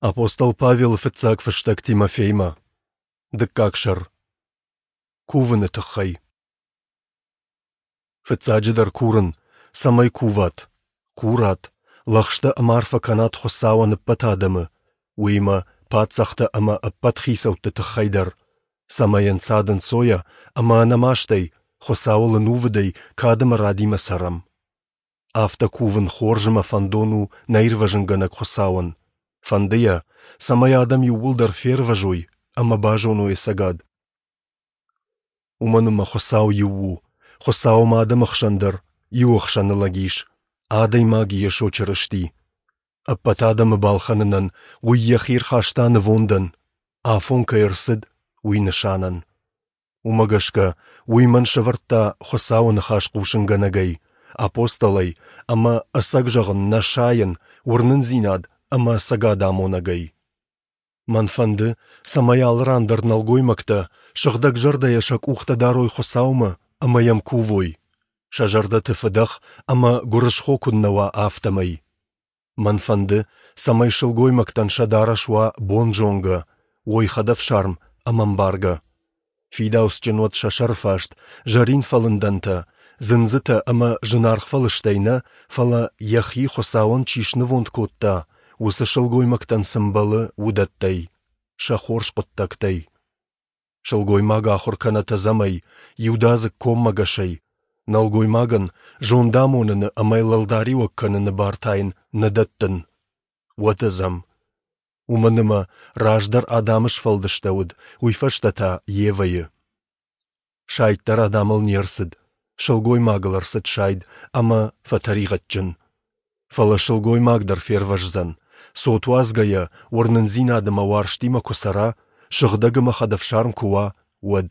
Апостол Павелы фыццаг фыстӕг Тимофеймӕ. Дыккаг сӕр. Кувыны тыххӕй. Фыццаджыдӕр курын, цӕмӕй куват, курат, лӕгъстӕ ӕмӕ арфӕ кӕнат Хуыцауӕн ӕппӕт адӕмы, уыимӕ паддзӕхтӕ ӕмӕ ӕппӕт хицӕутты тыххӕй дӕр, цӕмӕй ӕнцад-ӕнцойӕ ӕмӕ ӕнӕмастӕй, Хуыцауыл ӕнувыдӕй, кад ӕмӕ радимӕ цӕрӕм. Афтӕ кувын хорз ӕмӕ фӕндон у нӕ Ирвӕзынгӕнӕг Хуыцауӕн. Фӕнды йӕ, цӕмӕй адӕм иууылдӕр фервӕзой ӕмӕ базоной ӕцӕгад. Уымӕн ӕмӕ Хуыцау иу у, Хуыцау ӕмӕ адӕмы хсӕн дӕр иу ӕхсӕны лӕг ис, адӕймаг Йесо Чырысти. Ӕппӕт адӕмы балхӕнынӕн уый йӕхи ӕрхаста нывондӕн, афон кӕй ӕрцыд, уый нысанӕн. Уымӕ гӕсгӕ уый мӕн сӕвӕрдта Хуыцауы ныхас хъусынгӕнӕгӕй, апостолӕй ӕмӕ, ӕцӕг зӕгъын, нӕ сайын, уырнындзинад ӕмӕ ӕцӕгад амонӕгӕй. Мӕн фӕнды, цӕмӕй алы ран дӕр нӕлгоймӕгтӕ сыгъдӕгзӕрдӕйӕ сӕ къухтӕ дарой Хуыцаумӕ ӕмӕ йӕм кувой, сӕ зӕрдӕты фыдӕх ӕмӕ гуырысхо куыннӕ уа, афтӕмӕй. Мӕн фӕнды, цӕмӕй сылгоймӕгтӕн сӕ дарӕс уа бонзонгӕ, уой хӕдӕфсарм ӕмӕ ӕмбаргӕ. Фидауцджын уӕд сӕ сӕрфаст, зӕрин фӕлындӕнтӕ, дзындзытӕ ӕмӕ зынаргъ фӕлыстӕй нӕ, фӕлӕ йӕхи Хуыцауӕн чи снывонд кодта, уыцы сылгоймӕгтӕн цы мбӕлы, уыдӕттӕй, сӕ хорз хъуыддӕгтӕй. Сылгоймаг ахуыр кӕнӕт ӕдзӕмӕй, иудадзыг коммӕгӕсӕй, нӕлгоймагӕн зондамоныны ӕмӕ йыл ӕлдариуӕг кӕныны бар та йын нӕ дӕттын. Уӕд ӕдзӕм. Уымӕн ӕмӕ раздӕр Адамы сфӕлдыстӕуыд, уый фӕстӕ та Евӕйы. Сайд дӕр Адамыл не рцыд, сылгоймагыл ӕрцыд сайд ӕмӕ фӕтӕригъӕдджын. Фӕлӕ сылгоймаг дӕр фервӕздзӕн, цот уадзгӕйӕ, уырнындзинад ӕмӕ уарзтимӕ куы цӕра, сыгъдӕг ӕмӕ хӕдӕфсарм куы уа, уӕд.